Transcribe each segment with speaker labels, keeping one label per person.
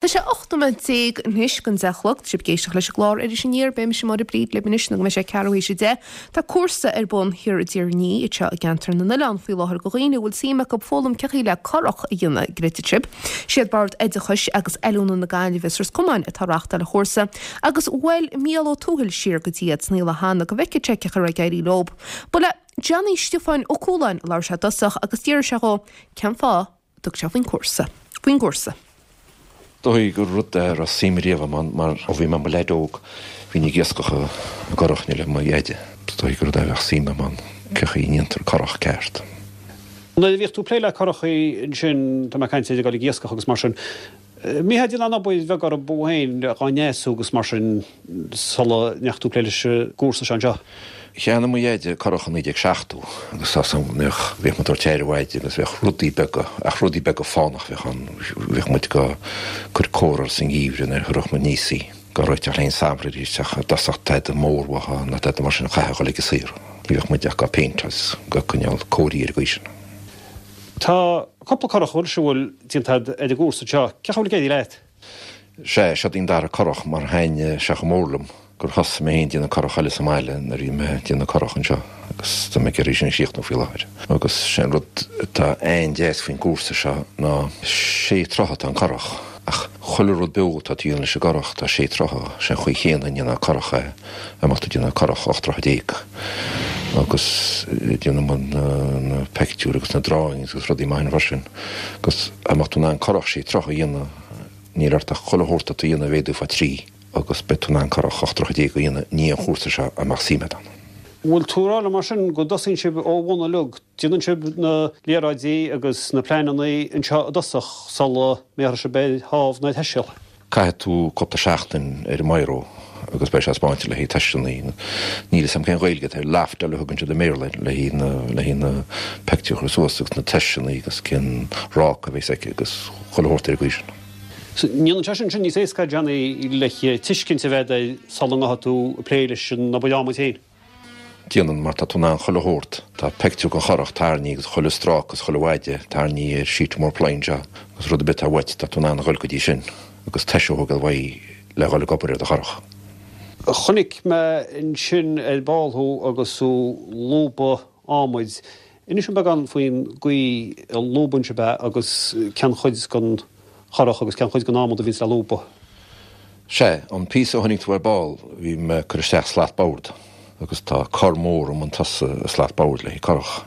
Speaker 1: Tá sé 18 nóiméad anois don 10 a chlog. Tá sibh ag éisteacht leis an gclár Iris Aniar. Beidh mise Máire Bríd libh anois nó go mbeidh sé ceathrú théis 10. Tá cúrsa ar bun thiar i dTír an Fhia anseo i gceantar na nOileán faoi láthair do dhaoine a bhfuil suim acu foghlaim cén chaoi le curach a dhéanamh, an gcreidfidh sibh. Siad Bord Oideachais agus Oiliúna na Gaillimhe is Ros Comáin atá ag reáchtáil an chúrsa agus bhuail Mícheál Ó Tuathail siar go dtí iad san Fhaoladh cheana go bhfeicfeadh sé cén chaoi a raibh ag éirí leob. Ba le Johnny Stiofáin Ó Cualáin a labhair sé i dtosach agus d'fhiafraigh sé dhó cén fáth dtug sé faoin gcúrsa. Faoin gcúrsa.
Speaker 2: Dóigh gur rud a raibh suim riamh agam ann mar ó bhí mé i mo leaid óg bhínn ag iascach i gcurach le mo dheaide. Is dóigh gur rud é a bheadh suim agam ann, cén chaoi a ndéantar curach ceart.
Speaker 3: Nuair a bhíodh tú ag plé le curachaí ansin, tá mé ag caint ar ag dul ag iascach agus mar sin, Mbítheá ag déanamh an obair bheag orthu féin dhá ndreasú agus mar sin sula ndeachaigh tú ag plé leis an gcúrsa seo anseo?
Speaker 2: Cheannaigh mo dheaide curach i 1970 agus tá 's agam go mbíodh, bhíodh muid ag tabhairt aire uaidh agus bheadh rudaí beaga, ach rudaí beaga fánach a bheadh ann, bhíodh muid go cur cóir uirthi sa ngeimhreadh nuair a chuirfeadh muid aníos í, go réiteach léi an samhradh arís ach i dtosach tada mór uathu ná tada mar sin chaithfeá dhul ag an saothar. Ní bheadh muid ach go péinteáil 's go coinneáil cóirithe ar an gcaoi sin.
Speaker 3: Tá cúpla curach anois a bhfuil déanta agat ar an gcúrsa seo. Cén chaoi a bhfuil ag éirí leat?
Speaker 2: Sea, seod í an dara curach mar thaitnigh sé chomh mór liom gur thosaigh mé féin ag déanamh curach eile sa mbaile nuair a bhí mé ag déanamh curach anseo agus tá mé ag iarraidh sin a chríochnú faoi láthair. Agus sé an rud atá an-deas faoin gcúrsa seo ná sé troithe atá an curach ach chuile rud beo atá tú a dhéanamh leis an gcurach tá sé troithe, sé an chaoi chéanna a ndéanfá curach é. Dá mbeadh tú ag déanamh curach 18 troithe agus déanann muid na peictiúir agus na drawings agus rudaí maithe freisin agus dá mbeadh tú in ann curach sé troithe a dhéanamh níl ort ach chuile shórt atá tú a dhéanamh a mhéadú fá thrí agus beidh tú in ann curach 18 troithe a dhéanamh i ndiaidh an chúrsa seo dá mbeadh suim agat ann.
Speaker 3: Bhfuil tú ag rá liom mar sin go dtosaíonn sibh ó bhun uilig, déanann sibh na léaráidí agus na pleananna anseo i dtosach sula mbéarfaidh sibh ar thámh nó ar theiseal?
Speaker 2: Caithfidh tú cúpla seachtain ar an mbiro agus beidh sé spáinte le haghaidh teisteanna. Níl 'fhios a'm cén Ghaeilge atá air, loftáil a thugann siad i mBéarla air, le haghaidh na, le haghaidh na peictiúir a chur suas agus na teisteanna agus cén ráca a bheas aici agus chuile shórt ar an gcaoi sin.
Speaker 3: So, ndéanann sé sin sin níos éasca, Johnny, le tuiscint a bheith agat air sula ngabhfaidh tú ag plé leis an obair adhmaid féin?
Speaker 2: Déanann, mar tá tú in ann chuile shórt. Tá peictiúr den churach tarraingthe agus chuile stráca agus chuile mhaide tarraingthe ar sheet mór ply anseo agus rud ar bith atá uait tá tú in ann a dhul go dtí sin agus toise a thógáil uaidh le dhul ag obair ar do churach.
Speaker 3: Chonaic mé ansin ar ball thú agus tú ag lúbadh adhmaid. Inis dom beagán faoin gcaoi a lúbann sibh é agus cén chuid den churach agus cén chuid den adhmad a bhíonns le lúbadh.
Speaker 2: Sea, an píosa a chonaic tú ar ball, bhí mé ag cur isteach slat boird agus tá cor mór i mbun tosaigh an slat boird le haghaidh curach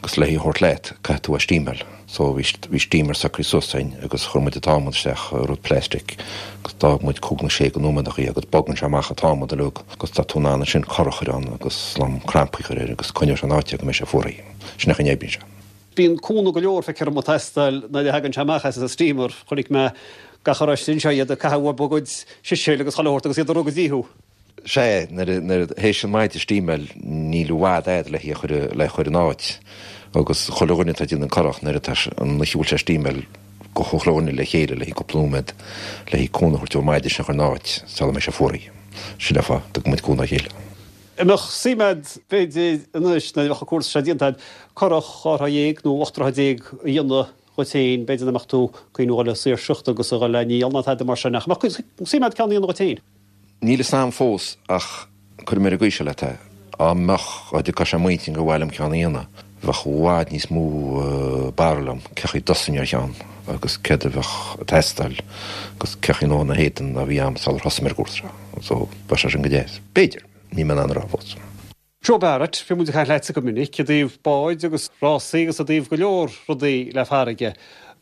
Speaker 2: agus le hí a thabhairt leat, caithfidh tú a steamáil. So bhí bhí steamer socraithe suas againn agus chuir muid an t-adhmad isteach i rud plastic agus d'fhág muid cúig nó sé go nóiméadachaí agus bogann sé amach an t-adhmad uilig agus tá tú in ann ansin cor a chur ann agus slám crampaí a chur air agus coinneoidh sé in áit é go mbeidh sé fuaraithe. Sin an chaoi a n-oibríonn sé.
Speaker 3: Bíonn cúnamh go leor, feictear dom, ag teastáil nuair a thagann sé amach as an steamer. Chonaic mé gach a raibh anseo, iad ag caitheamh uathu a gcuid siséil agus chuile shórt agus iad ag rith go dtí thú.
Speaker 2: Sea, nuair a, nuair a, théis an maide a steamáil, níl i bhfad a'd le hí a chur, le chur in áit. Agus chuile dhuine atá ag déanamh an curach, nuair atá, an oíche a bhfuil sé ag steamáil, go chuile dhuine le chéile le haghaidh cúpla nóiméad, le haghaidh cúnamh a thabhairt dó an maide sin a chur in áit, sula mbeidh sé fuaraithe. Sin an fáth a dtugann muid cúnamh dá chéile.
Speaker 3: An mbeadh suim a'd, b'fhéidir, anois, nuair a bheadh an cúrsa seo déanta a'd, curach 12 throigh nó 18 troigh a dhéanamh dhuit féin, b'fhéidir nach mbeadh tú ag cuimhniú a dhul ag saoirseacht agus a dhul le ndíol ná tada mar sin, ach an mbeadh suim a'd ceann a dhéanamh dhuit féin?
Speaker 2: Níl fhios a'm fós ach cuirfidh mé ar an gcaoi seo leat é, dá mbeadh, dá dtiocfadh sé i m'intinn gur mhaith liom ceann a dhéanamh, bheadh i bhfad níos mó barúil a'm cé chaoi a dtosóinn ar cheann agus céard a bheadh ag teastáil agus cé chaoi nó na héadan ná bhí a'm sular thosaigh mé ar an gcúrsa seo. So, bheadh sé sin go deas. B'fhéidir. Níl mé in ann a rá fós.
Speaker 3: Joe Barrett, bíonn muid ag caint leatsa go minic i dtaobh báid agus rásaí agus i dtaobh go leor rudaí le farraige.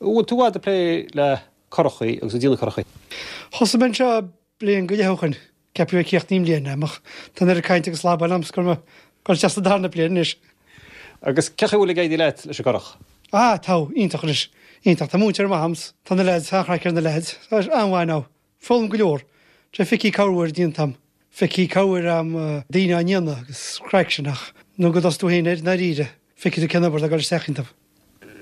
Speaker 3: An bhfuil tú i bhfad ag plé le curachaí agus ag déanamh curachaí?
Speaker 4: Thosaigh mé anseo bliain go leith ó shoin, ceapaim é críochnaithe i mbliana ach tá an oiread cainte agus slabáil a'm 's go raibh mé ag dul isteach sa darna bliain anois.
Speaker 3: Agus cé chaoi a bhfuil ag éirí leat leis an gcurach?
Speaker 4: Ah, tá, iontach anois, iontach. Tá múinteoir maith a'm 's tá na leaids, an-chraic ar na leaids. Tá sé an-mhaith now. Foghlaim go leor. Sé feicfidh corruair déanta a'm. Feicfidh corruair a'm daoine á ndéanamh agus craic sin ach nó go dtosaí tú féin air i ndáiríre, feicfidh tú cén obair atá ag dul isteach iontu.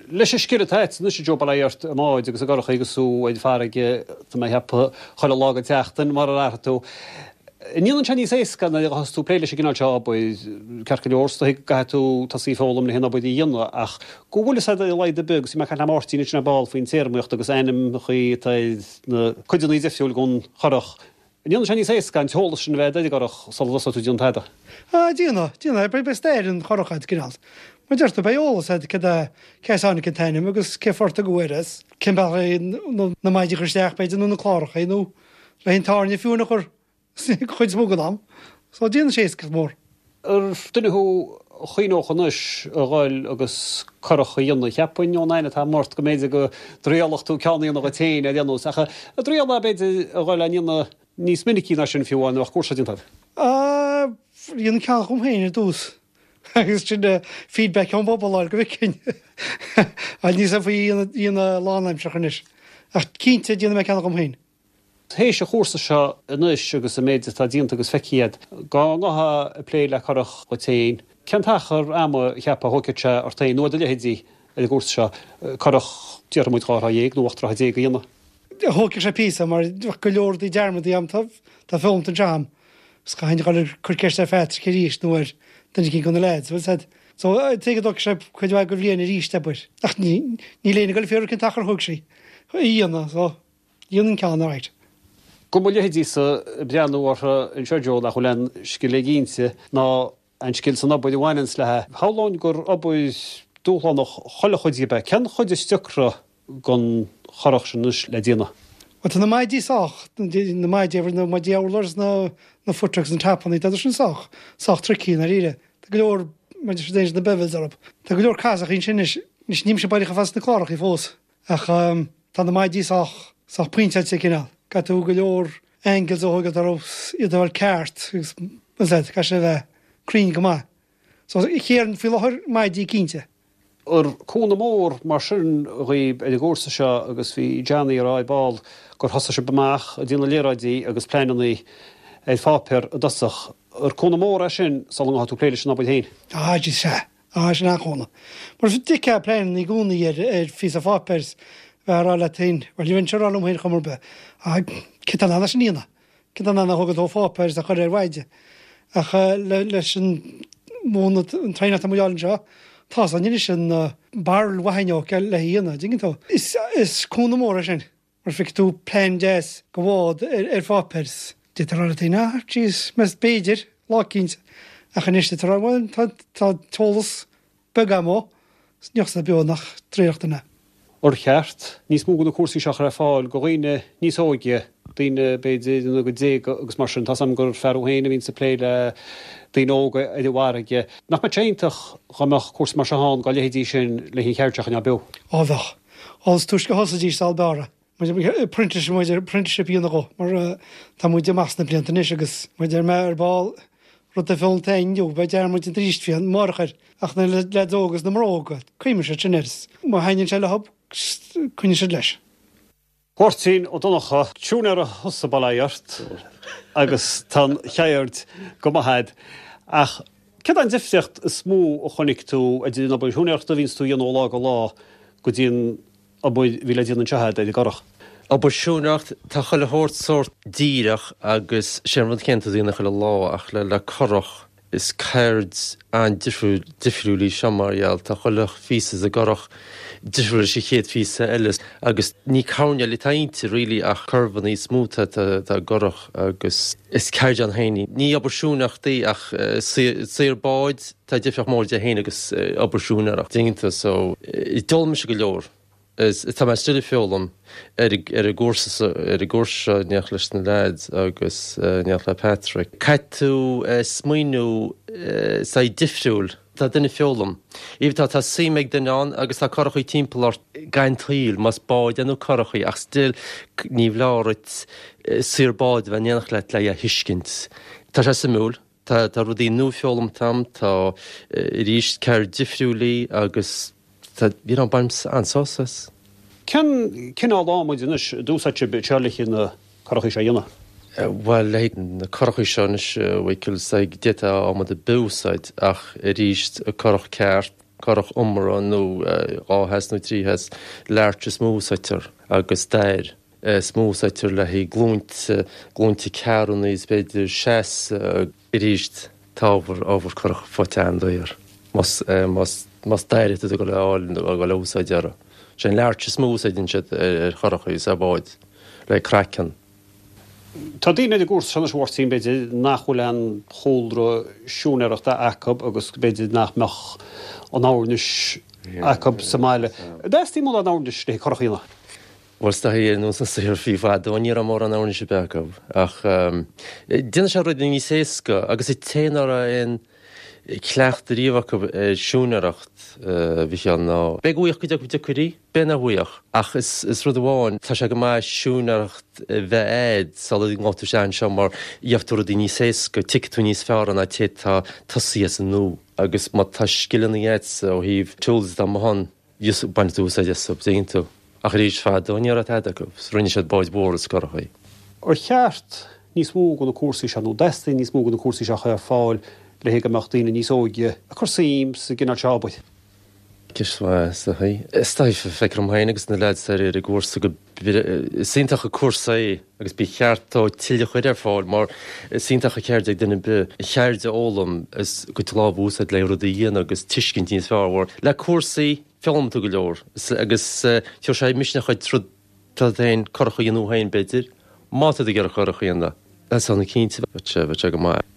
Speaker 3: Leis an scil atá agat anois a Joe bail ó Dhia ort i mbáid agus i gcurachaí agus tú ar an bhfarraige, tá mé ag ceapadh chuile lá den tseachtain mar a déarfá tú. An ndéanann sé níos éasca nuair a thosaíos tú ag plé leis an gcineál seo obair, ceart go leor, is dóigh go gcaithfidh tú tosaí ag foghlaim le haon obair a dhéanamh ach go bhfuil fhios agat ar a laghad ar bith agus bhí mé ag caint le Máirtín ansin ar ball faoin téarmaíocht agus ainmneachaí atá ar na cuideanna difriúil den churach. An ndéanann sé níos éasca an t-eolas sin a bheith agat ar an gcurach sula dtosóidh tú ag déanamh tada?
Speaker 4: Ah, déanann, déanann. Beidh stair an churach agat, cineál. Mar deir tú, beidh eolas agat cad é, cé as a tháinig an t-ainm agus cén fáth ar tugadh air as, cén bealach le na maidí a chur isteach, b'fhéidir, nó na cláracha nó Le an tairne fiú a chur an chuid is mó den am. So déanann sé éascaíocht mhór.
Speaker 3: Ar duine thú a chuimhneodh anois a dhul agus curach a dhéanamh, cheapfainn ón aithne atá agam ort go mb'fhéidir go dtriailfeadh tú ceann a dhéanamh dhuit féin ar aon nós, ach an dtriailfeá b'fhéidir a dhul á ndéanamh níos minicí ná sin fiú amháin nuair a bheadh cúrsa déanta agat?
Speaker 4: Ah, dhéanfainn ceann dhom féin ar dtús agus sin feedback ón bpobal a fháil go bhfeicfinn. Ach níl 's agam faoi a dhéanamh lánaimseartha anois. Ach cinnte déanfaidh mé ceann dhom féin.
Speaker 3: Théis an chúrsa seo anois agus an méid atá déanta agus feicthe agat, dá ngabhfá ag plé le curach dhuit féin, cén t-achar ama a cheapfá a thógfadh sé ort féin nó ar do leithéidí ar an gcúrsa seo, curach, déarfaidh muid, 12 throigh nó 18 troigh a dhéanamh?
Speaker 4: Thógfadh sé píosa mar bheadh go leor rudaí dearmadta agam atá foghlamtha anseo agam is caithfinn a dhul ag cur ceist ar Phatrick arís nó ar duine eicínt de na leaids, bhfuil 's agat. So, tuige go dtógfaidh sé cuid mhaith de bhliain arís, abair. Ach níl éinne ag dul ag fiafraí cén t-achar a thóg sé a dhéanamh, so. Dhéanfainn ceann alright.
Speaker 3: Go mo leithéidísa ag breathnú orthu anseo Joe nach bhfuil aon scil éiginnte ná aon scil san obair a bhaineanns léi. Shamhlóinn gur obair dúshlánach chuile chuid díobh é. Cén chuid is deacra den churach sin anois le déanamh?
Speaker 4: Bhuel tá na maidí sách, na maidí, na maidí urláir is na na footracks na tapannaí, tá siad sin sách, sách tricky i ndáiríre. Tá go leor, mar a deir siad na bevels orthu. Tá go leor casachaí ansin anois, anois nílimse baileach chomh fada sna clárachaí fós. Ach tá na maidí sách, sách pointeáilte cineál. Caithfidh tú go leor angles a thógáil orthu iad a fháil ceart agus bhfuil 's agat, caithfidh sé a bheith cruinn go maith. So chéard faoi láthair, maidí cinnte.
Speaker 3: Ar cúnamh mór mar sin dhaoib ar an gcúrsa seo agus bhí Johnny ag rá ar ball gur thosaigh sibh amach ag déanamh léaráidí agus pleananna ar pháipéar i dtosach. Ar cúnamh mór é sin sula ngabhfaidh tú ag plé leis an obair féin?
Speaker 4: Ah, jeez, sea. Ah, sin an-chúnamh. Mar d'fheicfeá pleananna i gcónaí ar ar phíosa pháipéir 's bheifeá ag rá leat féin, bhuel ní bheinnse ag rá liom féin chuma ar bith, ah, cé tá in ann é sin a dhéanamh? Cé tá in ann a thógáil ó pháipéar is a chur ar mhaide? Ach le leis an múineadh, an traenáil atá muid a fháil anseo, tá's againn anois an barúil mhaith inniu le a dhéanamh, an dtuigeann tú? Is is cúnamh mór é sin. Mar feicfidh tú plean deas de bhád ar pháipéar 's d'fhéadfá a rá leat féin, ah, jeez, meas b'fhéidir, lá eicínt, ach anois d'fhéadfá a rá, bhuel, tá, tá t-eolas beag agam ó, 's ní bheadh beo nach dtriailfeadh duine.
Speaker 3: Ar cheart níos mó de na cúrsaí seo a chur ar fáil do dhaoine níos óige, daoine b'fhéidir ina gcuid déaga agus mar sin? Tá's agam gur fear thú féin a bhíonns ag plé le daoine óga ar an bhfarraige. Nach mbeadh sé iontach dá mbeadh cúrsa mar seo ann dá leithéidí sin le an cheird seo a choinneáil beo?
Speaker 4: Á bheadh. Á is túisce a thosaídís al b'fhearr. Muid muid apprenticeship a dhéanamh dhó mar tá muid amach sna blianta anois agus muid ar mé ar ball rud de fionn inniu beidh dearmad déanta arís faoi amárach air ach na leaids óga is na mná óga cuimhneoidh siad sin air is má thaitníonn sé leo coinneoidh siad leis.
Speaker 3: Máirtín Ó Donnchadha, siúinéara thusa bail ó Dhia ort agus tá an cheird go maith a'd ach céard é an difríocht is mó a chonaic tú idir an obair shiúinéireachta a bhíonns tú a dhéanamh ó lá go lá go dtí an obair a bhí le déanamh anseo a'd ar an gcurach?
Speaker 5: Obair siúinéireacht, tá chuile shórt sórt díreach agus sé an rud céanna tú a dhéanamh chuile lá ach le le curach Is ceird an-difriúil difriúil í seo mar gheall tá chuile phíosa de gcurach difriúil leis an chéad phíosa eile agus ní coirnéil atá inti really ach curvanna is mó atá i gcurach agus is ceird ann féin í. Ní obair siúinéireacht í ach saor báid tá difríocht mór idir é féin agus obair siúinéireacht déanta so d'fhoghlaim mise go leor. Is tá mé still ag foghlaim ar ar an gcúrsa seo ar an gcúrsa seo in éineacht leis na leaids agus in éineacht le Patrick. Caithfidh tú smaoineamh saghas difriúil. Tá duine ag foghlaim. Even tá tá suim ag duine ann agus tá curachaí timpeall ort gan tsaoil, más báid é nó curachaí ach still ní foláir duit saor báid a bheith in éineacht leat le é a thuiscint. Tá sé suimiúil. Tá tá rudaí nua foghlamtha agam, tá arís ceird difriúil í agus tá you know bainim an-sásamh as.
Speaker 3: Cén cineál adhmaid anois a d'úsáid sibh anseo le haghaidh na curachaí seo a dhéanamh?
Speaker 5: Bhuel le haghaidh na curachaí seo anois a Mhichíl is dóigh d'fhéadfá adhmad ar bith a úsáid ach arís curach ceart, curach iomaire nó 2 theas nó 3 theas, larch is mó a úsáidtear agus dair. is mó a úsáidtear le haghaidh glúinte, glúinte carranna is b'fhéidir seasamh arís. Tá ábhar, ábhar curach faighte an-daor más, más, más daor atá tú ag dul a fháil nó ag dul a úsáid orthu. Sé an larch is mó a úsáideann siad ar churachaí is ar bháid le craiceann.
Speaker 3: Tá daoine ar an gcúrsa seo anois, a Mháirtín, b'fhéidir, nach bhfuil aon chúlra siúinéireachta acu agus b'fhéidir nach mbeadh an oirnis acu sa mbaile. An dteastaíonn mórán oirnis le curach a dhéanamh?
Speaker 5: Bhuel, is dóigh, ar nós na saothar fiú fadó, ní raibh mórán oirnis ar bith acu. Ach déanann sé rudaí níos éasca agus an té nach raibh aon cleachtadh riamh acu ar siúinéireacht, a Mhichíl, ná beidh go bhfaigheadh cuid acu deacair í. B'fhéidir nach bhfaigheadh. Ach is rud amháin, tá sé go maith siúinéireacht a bheith a'd sula ngabhfaidh tú isteach anseo mar gheobhaidh tú rudaí níos éasca, tuigfidh tú níos fearr ná té atá tosaithe as an nua. Agus má tá scileanna a'dsa ó thaobh tools atá amuigh ann, bainfidh tú úsáid astu, dtuigeann tú. Ach arís, fadó ní raibh tada acu, rinne siad báid mhóra is curachaí.
Speaker 3: Ar cheart níos mó de na cúrsaí seo, nó an dteastaíonn níos mó de na cúrsaí seo a chur ar fáil le go mbeadh daoine níos óige ag cur suim sa gcineál seo obair?
Speaker 5: Ceist mhaith, is dóigh. Is dóigh, feictear dom féin agus na leaids ar an gcúrsa go Is iontach an cúrsa é agus ba cheart dó tuilleadh a chur ar fáil mar is iontach an cheird ag duine ar bith an cheird a fhoghlaim is a gcuid lámh a úsáid le rudaí a dhéanamh agus tuiscint níos fearr mhór. Le cúrsaí, foghlaimíonn tú go leor agus tabharfaidh sé misneach duit rud duit féin, curach a dhéanamh féin b'fhéidir, má tá tú ag iarraidh curach a dhéanamh. Is ann cinnte, bheadh sé go maith.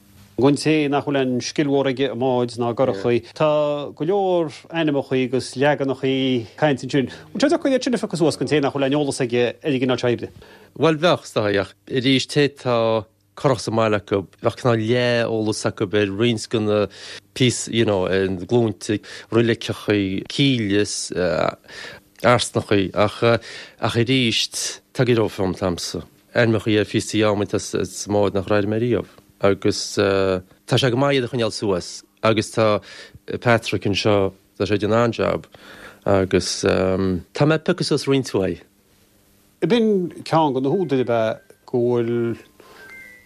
Speaker 3: Don té nach bhfuil aon scil mhór aige i mbáid ná i gcurachaí, tá go leor ainmeachaí agus leaganachaí cainte ansin. Bhfuil sé deacair iad sin a phiocadh suas don té nach bhfuil aon eolas aige ar an gcineál seo oibre?
Speaker 5: Bhuel, bheadh, is dóigh, ach arís, té tá curach sa mbaile acu, bheadh cineál leath-eolas acu ar roinnt de na píosaí, you know, ar na glúinte, roiliceachaí, cílle is earsnachaí, ach, ach arís, tá go leor foghlamtha a'msa. Ainmeachaí ar phíosaí adhmaid atá sa mbád nach raibh mé riamh agus tá sé go maith iad a choinneáil suas agus tá Patrick anseo, tá sé ag déanamh an-jab agus tá mé ag piocadh suas roinnt mhaith.
Speaker 3: B'in ceann de na húdair ab ea go bhfuil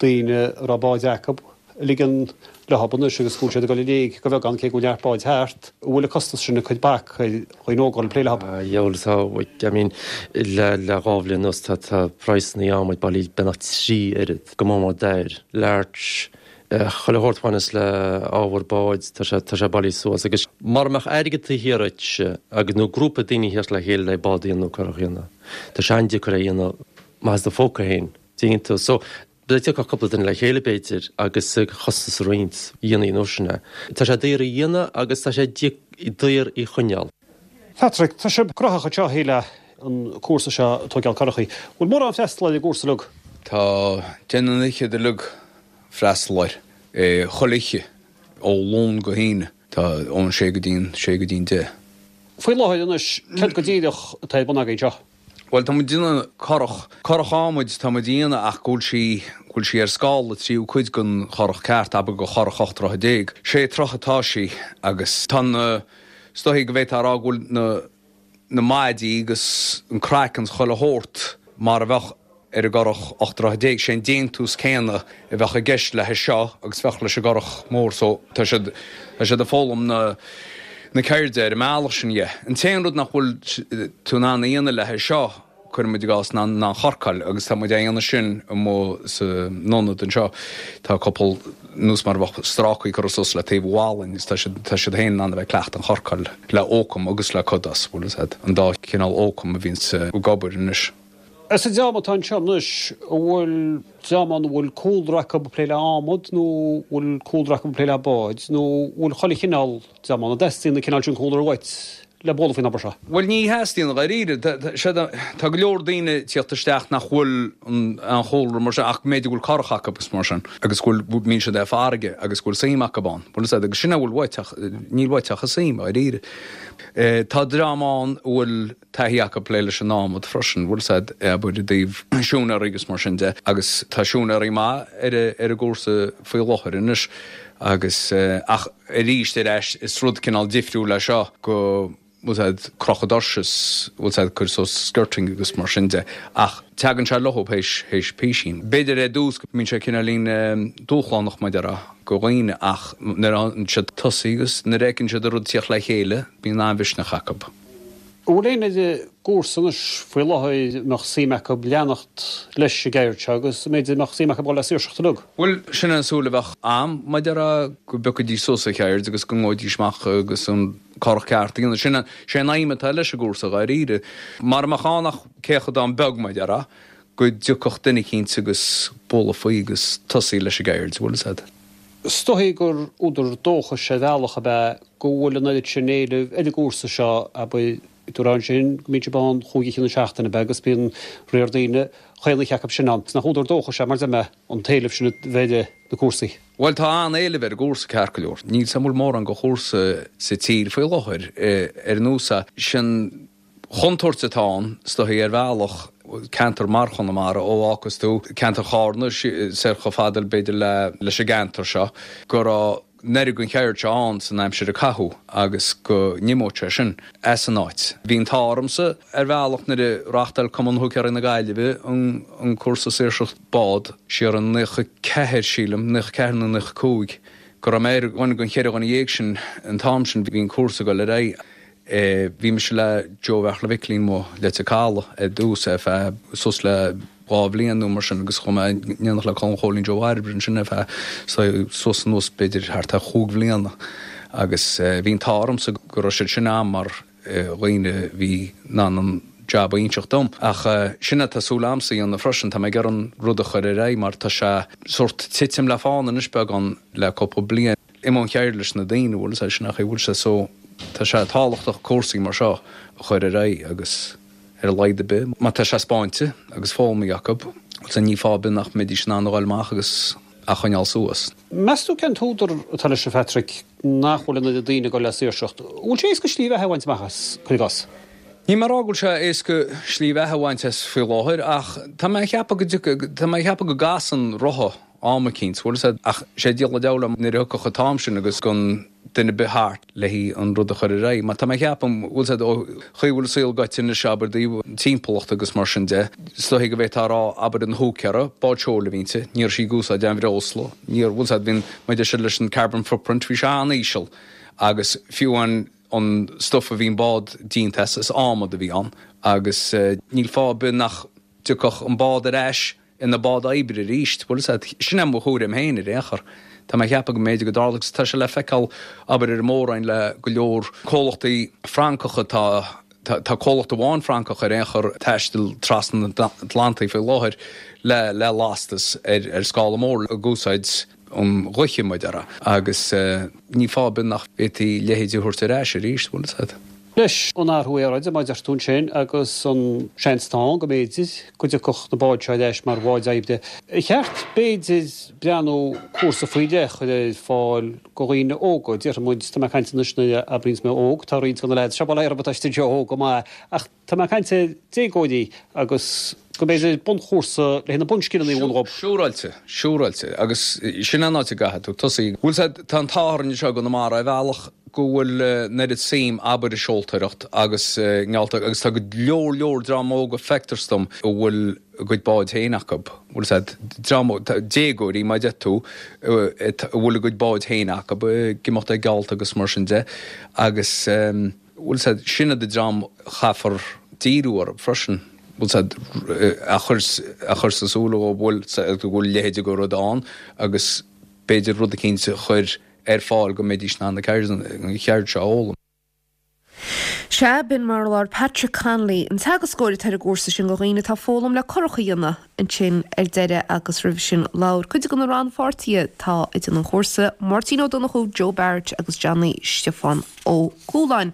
Speaker 3: daoine a raibh báid acu ag ligean leothab anois agus go bhfuil siad ag dul i léig go bheagán cé go bhfuil neart báid thart. An bhfuil an costas sin ag cur bac ar dhaoine óga dul ag plé leothab?
Speaker 5: Dheabhail tá, I mean le le dhá bhliain anuas tá tá praghsanna adhmaid bailí beagnach 3 oiread, go mór mór dair, larch, chuile shórt a bhaineas le ábhar báid tá sé tá sé bailí suas agus mara mbeadh airgead taobh thiar dhuit agus nó grúpa daoine a theacht le chéile le bád a dhéanamh nó curach a dhéanamh tá sé an-deacair é a dhéanamh amach as do phóca féin, dtuigeann tú. So Dá dtiocfadh cúpla duine le chéile, b'fhéidir, agus costas a roinnt, dhéanfaí an uair sin é. Tá sé daor a dhéanamh agus tá sé daor í choinneáil.
Speaker 3: Patrick, tá sibh gnóthach anseo le an cúrsa seo ag tóigeáil curachaí. Bhfuil mórán freastal ar an gcúrsa uilig?
Speaker 6: Tá, déanann an fhichead uilig freastal air, chuile oíche, ó Luan go hAoine. Tá ón sé go dtí'n sé go dtí'n deich.
Speaker 3: Faoi láthair anois, céard go díreach atá ar bun agaibh anseo?
Speaker 6: Bhuel, tá muid ag déanamh curach, curach adhmaid tá muid a dhéanamh ach go bhfuil sí, go bhfuil sí ar scála tríú cuid den churach ceart, abair de churach 18 troithe. Sé troithe atá sí agus tá na, is dóichí go bhféadfá a rá go bhfuil na, na maidí agus an craiceann 's chuile shórt mar a bheadh ar an gcurach 18 troithe. Sé an déantús céanna a bheadh i gceist le seo agus bheadh leis an gcurach mór so tá siad, tá siad ag foghlaim na, na ceirde ar an mbealach sin dhe. An t-aon rud nach bhfuil tú in ann a dhéanamh le seo, cuireann muid i gcás, ná an chorcáil agus tá muid á dhéanamh sin amuigh san ionad anseo. Tá cúpla, nós mar a bheadh strácaí curtha suas le taobh amháin agus tá siad, tá siad féin in ann a bheith ag cleachtadh an chorcáil le oakum agus le cudas, bhfuil fhios a'd, an dá chineál oakum a bhíonns ag obair anois.
Speaker 3: As an dream atá anseo anois, an bhfuil dream ann a bhfuil cúlra acu ag plé le adhmad nó an bhfuil cúlra acu ag plé le báid nó an bhfuil chuile chineál dream ann? An dteastaíonn an cineál sin cúlra uait le bualadh faoin obair seo?
Speaker 6: Bhuel, ní theastaíonn, dháiríre. Tá go leor daoine ag tíocht isteach nach bhfuil aon chúlra mar sin ach go mb'fhéidir go bhfuil curach acu agus mar sin agus go bhfuil, mbíonn siad ar farraige agus go bhfuil suim acu ann. Bhfuil fhios a'd, agus sin a bhfuil uait ach níl uait ach an suim, dháiríre. Tá dream ann a bhfuil taithí acu plé leis an adhmad freisin, bhfuil fhios a'd, abair i dtaobh siúinéirí agus mar sin de, agus tá siúinéirí maith ar ar an gcúrsa faoi láthair anois agus ach arís ar ais is rud cineál difriúil é seo go bhfuil fhios a'd crochadh doirse is bhfuil fhios a'd cur suas skirting agus mar sin de ach teagann sé leo théis théis písín. B'fhéidir ar dtús go mbíonn sé cineáilín dúshlánach mar a déarfá go dhaoine ach nuair a théann siad tosaí agus nuair a fheiceann siad an rud tíocht le chéile bíonn an-mhisneach acu.
Speaker 3: An bhfuil éinne ar an gcúrsa anois faoi láthair a mbeadh suim acu leanacht leis an gceird seo agus an mb'fhéidir a mbeadh suim acu dul le saoirseacht uilig?
Speaker 6: Bhuel, sin an súil a bheadh a'm, mar a déarfá, go bpiocfaidís suas an cheird agus go ngabhfaidís amach agus an curach ceart a dhéanamh. Sin, sé an aidhm atá leis an gcúrsa, dháiríre. Mara mbeadh ann ach céatadán beag, mar a déarfá, go dtiocfadh duine eicínt agus bualadh faoi agus tosaí leis an gceird, bhfuil fhios a'd.
Speaker 3: Is dóigh gur údar dóchais ar bhealach ab ea go bhfuil an oiread sin éilimh ar an gcúrsa seo, abair, dúradh ansin go mbíonn sibh ann chúig oíche na seachtaine, ab ea, agus bíonn riar daoine chaon oíche acu sin ann. Nach údar dóchais é, mar a deir mé, an t-éileamh sin a bheith ar na cúrsaí?
Speaker 6: Bhuel, tá an-éileamh ar an gcúrsa, ceart go leor. Níl 's a'm an bhfuil mórán de chúrsa sa tír faoi láthair ar nós é sin. chontúirt atá ann, is dóichí, ar bhealach, ceantar mar Chonamara, ó fhágfas tú ceantar Chárna soir chomh fada, b'fhéidir, leis an gceantar seo, go raibh an oiread den cheird seo ann san aimsir a caitheadh agus go n-imeodh sé sin as an áit. Bhí an t-ádh ormsa, ar bhealach, nuair a reáchtáil Cumann Húicéirí na Gaillimhe an cúrsa saoirseacht bád siar in 94, sílim, 94 nó 95, go raibh mé ar dhuine den cheithre dhuine dhéag sin an t-am sin, bhí an cúrsa ag dul ar aghaidh. Bhí mise le Joe Bheartla Mhicilín amuigh Leitir Caladh ar dtús ar feadh suas le dhá bhliain nó mar sin agus chuaigh mé in éineacht le Colm Chóilín Joe Bhairbre ansin ar feadh suas anuas b'fhéidir thart ar chúig bhliana agus bhí an t-ádh ormsa go raibh siad sin a'm mar dhaoine a bhí in ann an jab a inseacht dom. Ach sin é tá súil a'msa a dhéanamh freisin, tá mé ag iarraidh an rud a chur ar aghaidh mar tá sé sórt titim le fána anois beagán le cúpla bliain. Imigh an cheird leis na daoine, bhfuil sé sin ach bhfuil sé so tá sé tábhachtach cúrsaí mar seo a chur ar aghaidh agus ar a laghad ar bith má tá sé spáinte agus foghlamtha acu, bhfuil sé ní fáth ar bith nach mbeidís in ann a dhul amach agus a choinneáil suas.
Speaker 3: Meas tú cén t-údar atá leis a Phatrick nach bhfuil an oiread daoine ag dul le saoirseacht? An bhfuil sé éasca slí bheatha a bhaint amach as, cuir i gcás?
Speaker 6: Níl mé ag rá go bhfuil sé éasca slí bheatha a bhaint as faoi láthair ach tá mé ag ceapadh go dtiocfaidh, tá mé ag ceapadh go gcasann rotha am eicínt, bhfuil fhios a'd, ach sé diabhal an deabhal é nuair a thiocfadh an t-am sin agus gan duine ar bith thart le hí an rud a chur ar aghaidh. Mar tá mé ag ceapadh, bhfuil fhios a'd, ó chaoi a bhfuil an saol gaibhte anois, abair, i dtaobh an timpeallacht agus mar sin de, is dóichí go bhféadfá a rá, abair, an húicéara, bád seoil a bhí inti, ní raibh sí ag úsáid aon bhreosla, ní raibh, bhfuil fhios a'd, bhí an, mar a deir siad leis an carbon footprint, bhí sé an-íseal agus fiú an, an stuif a bhí an bád déanta as, is adhmad a bhí ann agus níl fáth ar bith nach dtiocfadh an bád ar ais ina bád oibre arís. Bhfuil fhios a'd, sin é mo thuairim féin ar aon chor. Tá mé ag ceapadh go mb'fhéidir go dtarlódh, agus tá sé le feiceáil, abair, ar an Mór-Roinn le go leor comhlachtaí Francacha, tá, tá, tá comhlacht amháin Francach ar aon chor ag taisteal trasna an Atlantaigh faoi láthair le, le lastas ar, ar scála mór ag úsáid an ghaoithe, mar a déarfá, agus ní fáth ar bith nach bhféadfaí a leithéid a thabhairt ar ais arís, bhfuil fhios a'd.
Speaker 3: Leis an athrú aeráide, mar a deir tú ansin, agus an seans atá ann go mb'fhéidir go dtiocfadh na báid seo ar ais mar bháid oibre, ar cheart, b'fhéidir, breathnú cúrsa faoi leith a chur ar fáil do dhaoine óga? Déarfaidh muid, tá mé ag caint anois nuair a abraíonns mé óg, tá roinnt de na leaids seo, bail ó Dhia orthu, atá istigh anseo óg go maith, ach tá mé ag caint ar déagóirí agus go mb'fhéidir bunchúrsa le haghaidh na bunscileanna a mhúineadh dhóibh.
Speaker 6: Siúráilte, siúráilte. Agus sin an áit a gcaithfidh tú tosaí. Bhfuil 's a'd, tá an t-ádh orainn anseo i gConamara ar bhealach go bhfuil an oiread suim, abair, i seoltóireacht agus i ngeallta agus tá go leor leor dream óga feictear dom a bhfuil a gcuid báid féin acu. Bhfuil 's a'd, dream óg, déagóirí mar a deir tú, a bhfuil a gcuid báid féin acu, ag imeacht ag geallta agus mar sin de agus. Bhfuil 's a'd, sin iad an dream a chaithfear díriú orthu freisin, bhfuil 's a'd, a chur, a chur sa súil dhóibh, bhfuil 's a'd, go bhfuil a leithéid de rud ann agus b'fhéidir rud eicínt a chur ar fáil go mbeidís in ann an cheird seo a fhoghlaim.
Speaker 1: Sea, b'in mar a labhair Patrick Connolly, an teagascóir atá ar an gcúrsa sin do dhaoine atá ag foghlaim le curach a dhéanamh ansin ar deireadh agus roimhe sin labhair cuid de na rannpháirtithe atá ag déanamh an chúrsa, Máirtín Ó Donnchú, Joe Barrett agus Johnny Stiofán Ó Cualáin.